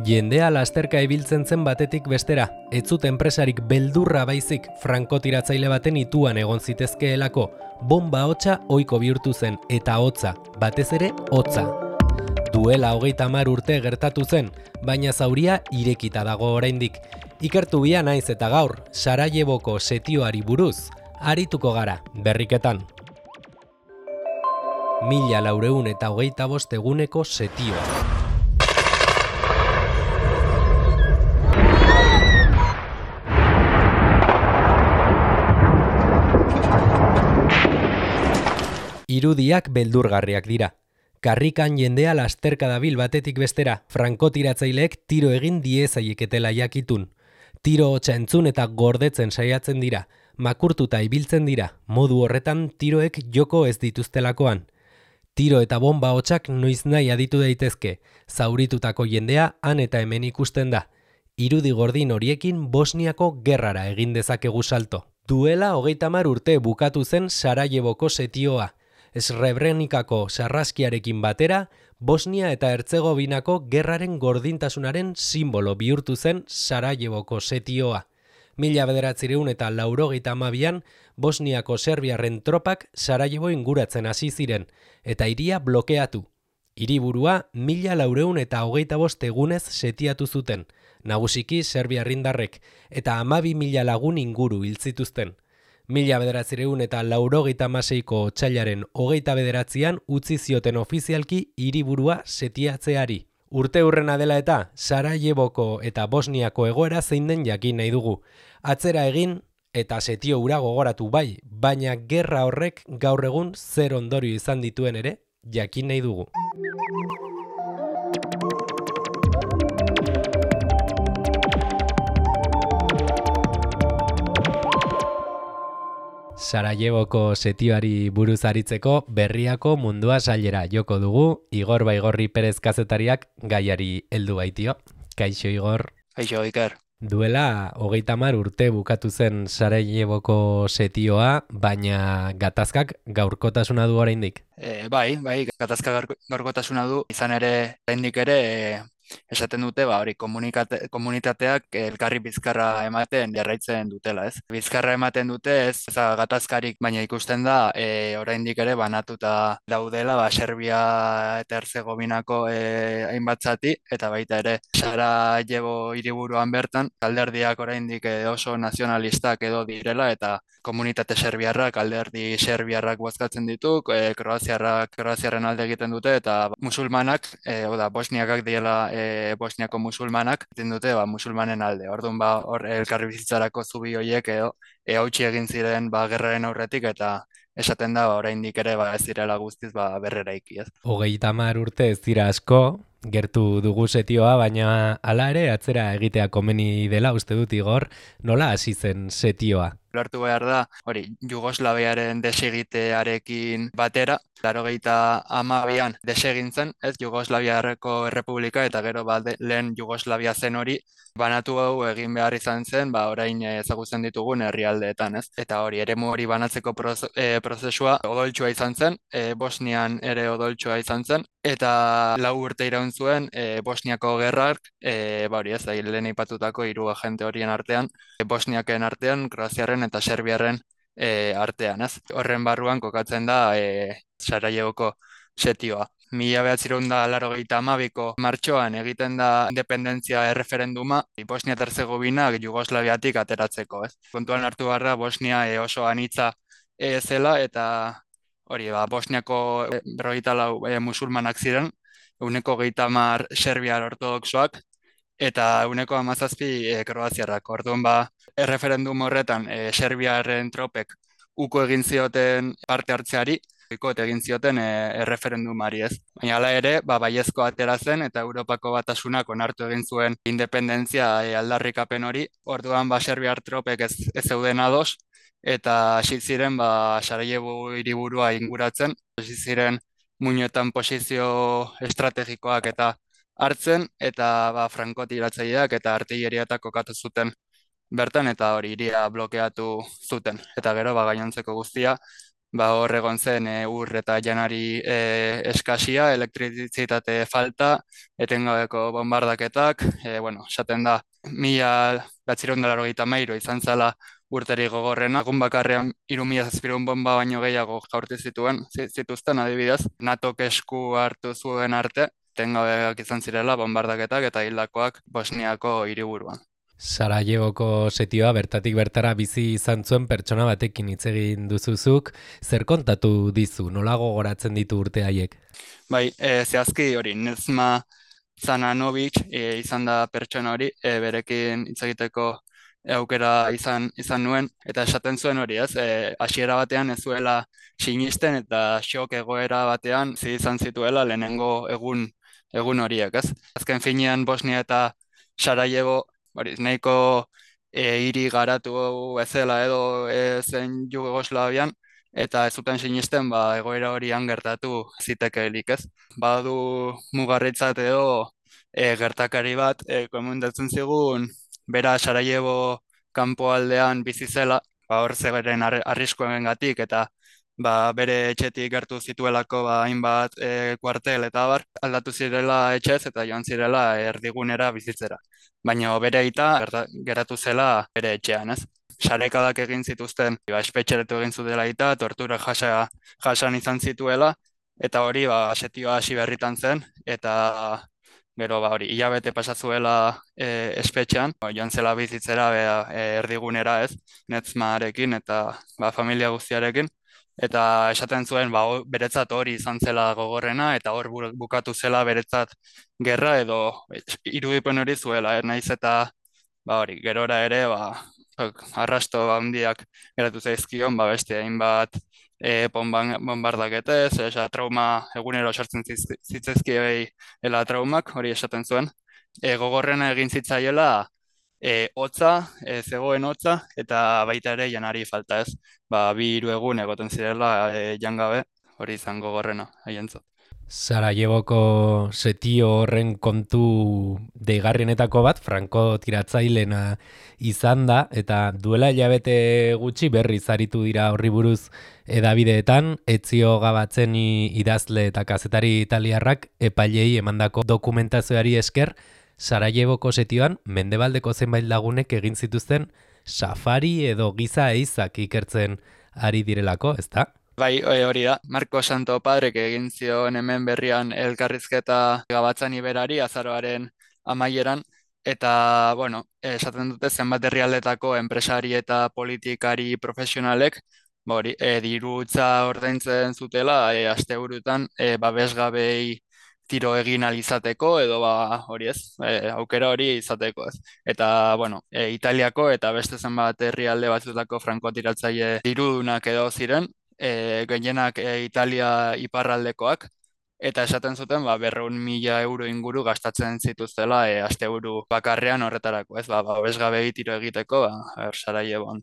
Jendea lasterka ibiltzen zen batetik bestera, ez zuten enpresarik beldurra baizik frankotiratzaile baten ituan egon zitezkeelako, bomba hotsa ohiko bihurtu zen eta hotza, batez ere hotza. Duela 30 urte gertatu zen, baina zauria irekita dago oraindik. Ikertu bia naiz eta gaur, Sarajevoko setioari buruz, arituko gara, berriketan. 1425 eguneko setioa. Irudiak beldurgarriak dira. Karrikan jendea lasterka dabil batetik bestera, frankotiratzaileek tiro egin diezaieketela jakitun. Tiro hotsa entzun eta gordetzen saiatzen dira, makurtuta ibiltzen dira, modu horretan tiroek joko ez dituztelakoan. Tiro eta bomba hotsak noiz nahi aditu daitezke, zauritutako jendea han eta hemen ikusten da. Irudi gordin horiekin Bosniako gerrara egin dezakegu salto. Duela 30 urte bukatu zen Sarajevoko setioa. Srebrenikako sarraskiarekin batera, Bosnia eta Hertzegovinako gerraren gordintasunaren simbolo bihurtu zen Sarajevoko setioa. 1982an Bosniako serbiarren tropak Sarajevo inguratzen hasi ziren, eta hiria blokeatu. Hiriburua 1425 egunez setiatu zuten, nagusiki serbiarrindarrek, eta 12.000 lagun inguru hil zituzten. 1986ko otsailaren 29an utzi zioten ofizialki hiriburua setiatzeari. Urte hurrena dela eta Sarajevoko eta Bosniako egoera zein den jakin nahi dugu. Atzera egin eta setio hura gogoratu bai, baina gerra horrek gaur egun zer ondorio izan dituen ere jakin nahi dugu. Sarajevoko setioari buruz aritzeko Berriako Mundua sailera joko dugu, Igor Baigorri Perez kazetariak gaiari heldu baitio. Kaixo Igor. Kaixo Iker. Duela 30 urte bukatu zen Sarajevoko setioa, baina gatazkak gaurkotasuna du oraindik. Bai, gatazka gaurkotasuna du, izan ere oraindik ere esaten dute, hori komunitateak elkarri bizkarra ematen jarraitzen dutela, ez? Bizkarra ematen dute, ez gatazkarik, baina ikusten da oraindik ere banatuta daudela, Serbia eta Herzegovinako hainbat zati, eta baita ere Sarajevo hiriburuan bertan, alderdiak oraindik oso nazionalistak edo direla, eta komunitate serbiarrak, alderdi serbiarrak bozkatzen ditu, kroaziarren alde egiten dute, eta musulmanak, bosniakak diela Bosniako musulmanak egiten dute musulmanen alde. Orduan hor elkarri bizitzarako zubi horiek hautsi egin ziren gerraren aurretik, eta esaten da oraindik ere ez direla guztiz berreraiki, ez. 30 urte ez dira asko, gertu dugu setioa, baina hala ere atzera egitea komeni dela uste dut Igor, nola hasi zen setioa? Ulertu behar da, Jugoslaviaren desegitearekin batera, 1982an desegin zen, ez Jugoslaviarreko Errepublika, eta gero lehen Jugoslavia zen hori, banatu hau egin behar izan zen, orain ezagutzen ditugun herrialdeetan, ez? Eta eremu hori banatzeko prozesua odoltsua izan zen, Bosnian ere odoltsua izan zen, eta 4 urte iraun zuen Bosniako gerrak, lehen aipatutako 3 agente horien artean, Bosniaken artean, Kroaziarren eta Serbiarren artean, ez? Horren barruan kokatzen da Sarajevoko setioa. 1982ko martxoan egiten da independentzia erreferenduma Bosnia eta Herzegovina Jugoslaviatik ateratzeko, ez? Kontuan hartu behar da Bosnia oso anitza zela, eta Bosniako 54 musulmanak ziren, 30 serbiar ortodoxoak, eta 17 kroaziarrak. Orduan erreferendum horretan serbiarren tropek uko egin zioten parte hartzeari, egin zioten erreferendumari, ez. Baina hala ere, baiezko atera zen, eta Europako Batasunak onartu egin zuen independentzia aldarrikapen hori. Orduan serbiar tropek ez zeuden ados, eta hasi ziren Sarajevo hiriburua inguratzen, hasi ziren muinoetan posizio estrategikoak eta hartzen, eta frankotiratzaileak eta artilleriatak kokatu zuten bertan, eta hiria blokeatu zuten. Eta gero gainontzeko guztia hor egon zen ur eta janari eskasia, elektrizitate falta, etengabeko bombardaketak, esaten da, 1983 izan zela urterik gogorrena. Egun bakarrean 3.000 bomba baino gehiago jaurti zituzten adibidez. NATOk esku hartu zuen arte, etengabeak izan zirela bombardaketak eta hildakoak Bosniako hiriburuan. Sarajevoko setioa bertatik bertara bizi izan zuen pertsona batekin hitz egin duzuzuk, zer kontatu dizu, nola gogoratzen ditu urte haiek? Bai, zehazki hori, Nezma Zananovic izan da pertsona hori, berekin hitz egiteko aukera izan nuen, eta esaten zuen hori, ez? Hasiera batean ez zuela sinisten eta xok egoera batean izan zituela lehenengo egun horiek, ez? Azken finean Bosnia eta Sarajevo hori, nahiko hiri garatu ezela edo zen Jugoslavian, eta ez zuten sinisten egoera horian gertatu zitekeelik, ez? Badu mugarritzat edo gertakari bat komentatzen zigun bera Sarajevo kanpoaldean bizi zela, hor zegeren arriskoengatik eta bere etxetik gertu zituelako hainbat kuartel eta aldatu zirela etxez eta joan zirela erdigunera bizitzera. Baina bere aita geratu zela bere etxean, ez? Sarekadak egin zituzten, espetxeretu egin zutela eta tortura jasan izan zituela, eta hori setioa hasi berritan zen, eta gero hori hilabete pasazuela espetxean, joan zela bizitzera erdigunera, ez, Netzmarekin eta familia guztiarekin, eta esaten zuen beretzat hori izan zela gogorrena, eta hor bukatu zela beretzat gerra edo irudipen hori zuela, naiz eta hori, gerora ere, arrasto handiak geratu zaizkion, beste hainbat bombardaketez, trauma egunero sortzen zitzaizkiei traumak, hori esaten zuen. Gogorrena egin zitzaiela hotza, zegoen hotza, eta baita ere janari falta, ez. 2-3 egun egoten zirela jangabe, hori izan gogorrena, haientzat. Sarajevoko setio horren kontu deigarrienetako bat, Franko tiratzailena izan da, eta duela hilabete gutxi berriz aritu dira horri buruz edabideetan, Ezio Gabatzeni idazle eta kazetari italiarrak epailei emandako dokumentazioari esker, Sarajevoko setioan mendebaldeko zenbait lagunek egin zituzten safari edo giza eizak ikertzen ari direlako, ezta? Bai, hori da. Marko Santo Padrek egin zion hemen berrian elkarrizketa Gabatzani berari azaroaren amaieran, eta, esaten dute zenbat herrialdetako enpresari eta politikari profesionalek, dirutza ordaintzen zutela, asteburutan, babesgabei tiro egin alizateko, edo hori ez, aukera hori izateko ez. Eta, Italiako eta beste zenbat herrialde batzutako frankotiratzaile dirudunak edo ziren, gehienak Italia iparraldekoak, eta esaten zuten 200.000 euro inguru gastatzen zituztela asteburu bakarrean horretarako, ez, babesgabei tiro egiteko, Sarajevon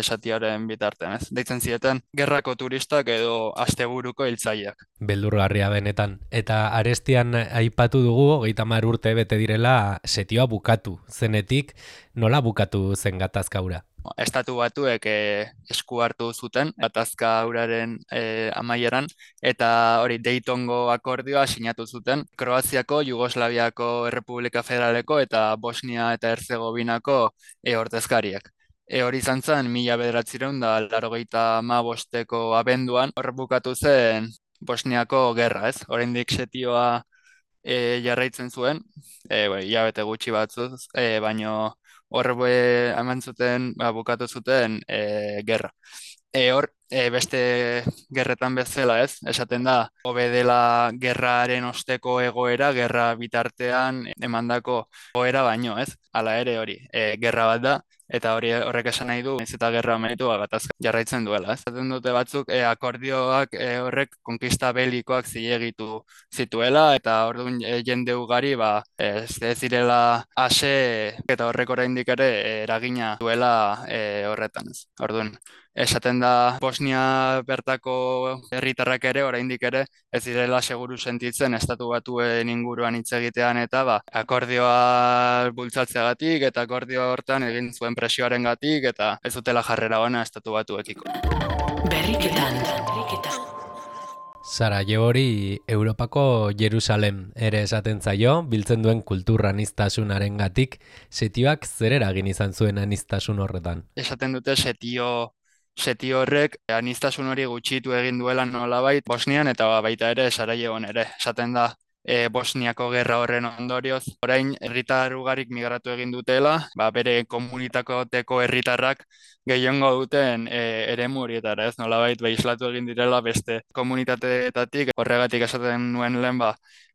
satiaren bitartean, ez. Deitzen zieten gerrako turistak edo asteburuko hiltzaileak. Beldurgarria benetan. Eta arestian aipatu dugu, 30 urte bete direla setioa bukatu zenetik, nola bukatu zen gatazka hura? Estatu Batuek esku hartu zuten gatazka huraren amaieran, eta hori Daytongo akordioa sinatu zuten Kroaziako, Jugoslaviako Errepublika Federaleko eta Bosnia eta Herzegovinako ordezkariak. Hori izan zen 1985ko abenduan, hor bukatu zen Bosniako gerra, ez? Oraindik setioa jarraitzen zuen, hilabete gutxi batzuz, baino hor eman zuten, bukatu zuten gerra. Hor, beste gerretan bezala, ez? Esaten da, hobe dela gerraren osteko egoera, gerra bitartean emandako egoera baino, ez? Hala ere hori, gerra bat da, eta horrek esan nahi du, ez eta gerra amaitu gatazka jarraitzen duela, ez? Zaten dute batzuk, akordioak horrek konkista belikoak zilegitu zituela, eta orduan jende ugari, ez zirela ase, eta horrek oraindik ere eragina duela horretan, ez? Orduan, esaten da Bosnia bertako herritarrak ere, oraindik ere, ez direla seguru sentitzen Estatu Batuen inguruan hitz egitean eta akordioa bultzatzeagatik eta akordio hortan egin zuen presioarengatik eta ez dutela jarrera ona Estatu Batuekiko. Berriketan. Sarajevori Europako Jerusalem ere esaten zaio, biltzen duen kultur aniztasunarengatik, setioak zer eragin izan zuen aniztasun horretan? Esaten dute setio horrek aniztasun hori gutxitu egin duela nolabait Bosnian eta baita ere Sarajevon ere. Esaten da Bosniako gerra horren ondorioz, orain herritar ugarik migratu egin dutela, bere komunitateko herritarrak gehiengo duten eremu horietara, ez nolabait islatu egin direla beste komunitateetatik, horregatik esaten nuen lehen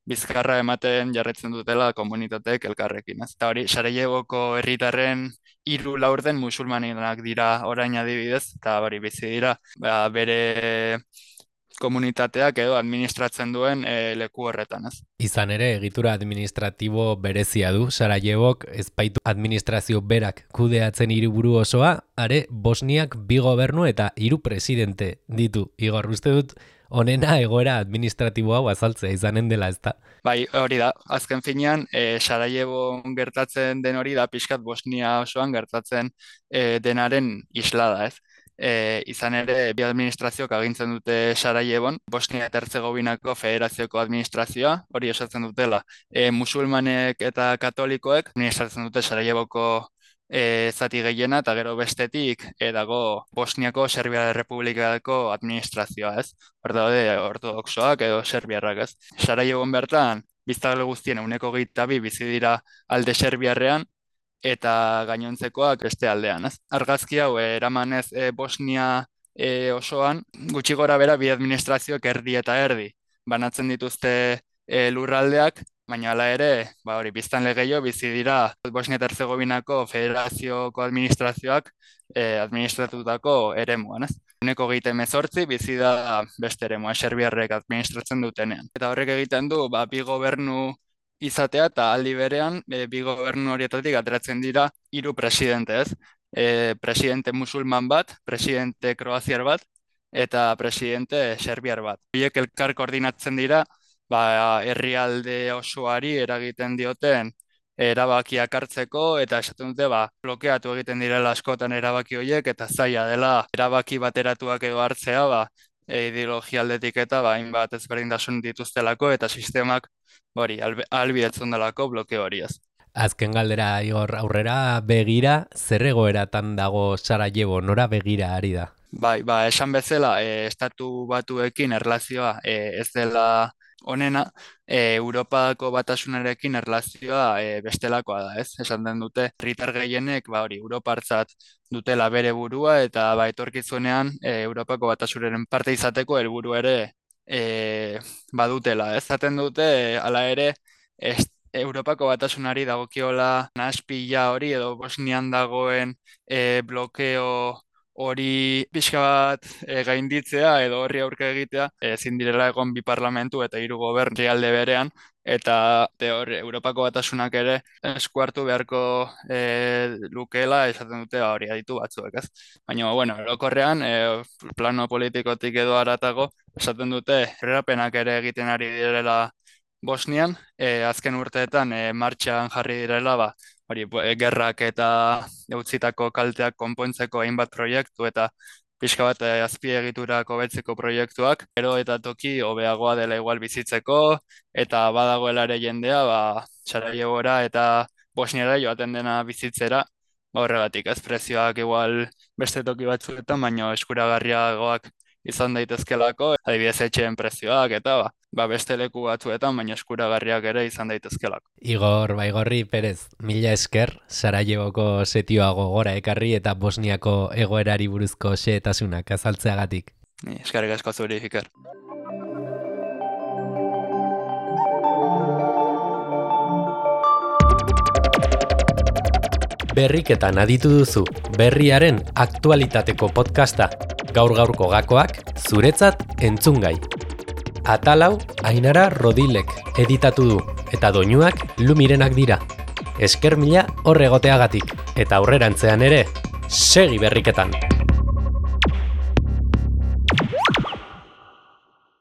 bizkarra ematen jarraitzen dutela komunitateek elkarrekin. Eta hori, Sarajevoko herritarren 3 laurden musulmanak dira orain adibidez, eta hori bizi dira bere komunitateak edo administratzen duen leku horretan, ez? Izan ere, egitura administratibo berezia du, Sarajevok ez baitu administrazio berak kudeatzen hiriburu osoa, are Bosniak 2 gobernu eta 3 presidente ditu. Igor, uste dut honena egoera administratibo hau azaltzea izanen dela, ezta? Bai, hori da. Azken finean, Sarajevon gertatzen den hori da, pixkat Bosnia osoan gertatzen denaren islada, ez? Izan ere, bi administrazioak agintzen dute Sarajevon, Bosnia eta Herzegovinako federazioko administrazioa, hori osatzen dutela. Musulmanek eta katolikoek administratzen dute Sarajevoko zati gehiena, eta gero bestetik dago Bosniako Serbia Republikako administrazioa, ez? Hor daude ortodoxoak edo serbiarrak, ez? Sarajevon bertan, biztanle guztien 22 bizi dira alde serbiarrean, eta gainontzekoak beste aldean, ez? Argazki hau eramanez Bosnia osoan, gutxi gora bera bi administrazioak erdi eta erdi banatzen dituzte lurraldeak, baina hala ere, hori biztanle gehiago bizi dira Bosnia eta Herzegovinako federazioko administrazioak administratutako eremuan, ez? 28 bizi da beste eremua, serbiarrek administratzen dutenean. Eta horrek egiten du, bi gobernu izatea eta aldi berean, bi gobernu horietatik ateratzen dira 3 presidente, ez? Presidente musulman bat, presidente kroaziar bat, eta presidente serbiar bat. Horiek elkar koordinatzen dira, herrialde osoari eragiten dioten erabakiak hartzeko, eta esaten dute, blokeatu egiten direla askotan erabaki horiek, eta zaila dela erabaki bateratuak edo hartzea, ideologia aldetik eta hainbat ezberdintasun dituztelako, eta sistemak ahalbidetzen delako blokeo hori, ez. Azken galdera, Igor, aurrera begira, zer egoeratan dago Sarajevo, nora begira ari da? Esan bezala, estatu batuekin erlazioa ez dela honena, Europako batasunarekin erlazioa bestelakoa da, ez? Esan den dute, herritar gehienek, Europartzat dutela bere burua, eta etorkizunean Europako batasunaren parte izateko helburu ere badutela, ez? Zaten dute, hala ere, Europako batasunari dagokiola nahaspila hori edo Bosnian dagoen blokeo hori pixka bat gainditzea edo horri aurka egitea, ezin direla egon 2 parlamentu eta 3 gobernu herrialde berean, eta Europako batasunak ere esku hartu beharko lukeela esaten dute hori aditu batzuek, ez? Baina, orokorrean, plano politikotik edo haratago, esaten dute aurrerapenak ere egiten ari direla Bosnian, azken urteetan martxan jarri direla, gerrak eta utzitako kalteak konpontzeko hainbat proiektu eta pixka bat azpiegiturak hobetzeko proiektuak, gero eta toki hobeagoa dela igual bizitzeko, eta badagoela ere jendea, Sarajevora eta Bosniara joaten dena bizitzera, horregatik ez prezioak igual beste toki batzuetan, baina eskuragarriagoak izan daitezkelako, adibidez etxeen prezioak eta beste leku batzuetan, baina eskuragarriak ere izan daitezkelako. Igor Baigorri Perez, mila esker, Sarajevoko setioa gogora ekarri eta Bosniako egoerari buruzko xehetasunak azaltzeagatik. Eskerrik asko zuri, Iker. Berriketan aditu duzu, berriaren aktualitateko podcasta. Gaur-gaurko gakoak, zuretzat entzungai. Atalau, Ainara Rodilek editatu du, eta doinuak Lumirenak dira. Esker mila hor egoteagatik, eta aurrerantzean ere, segi berriketan!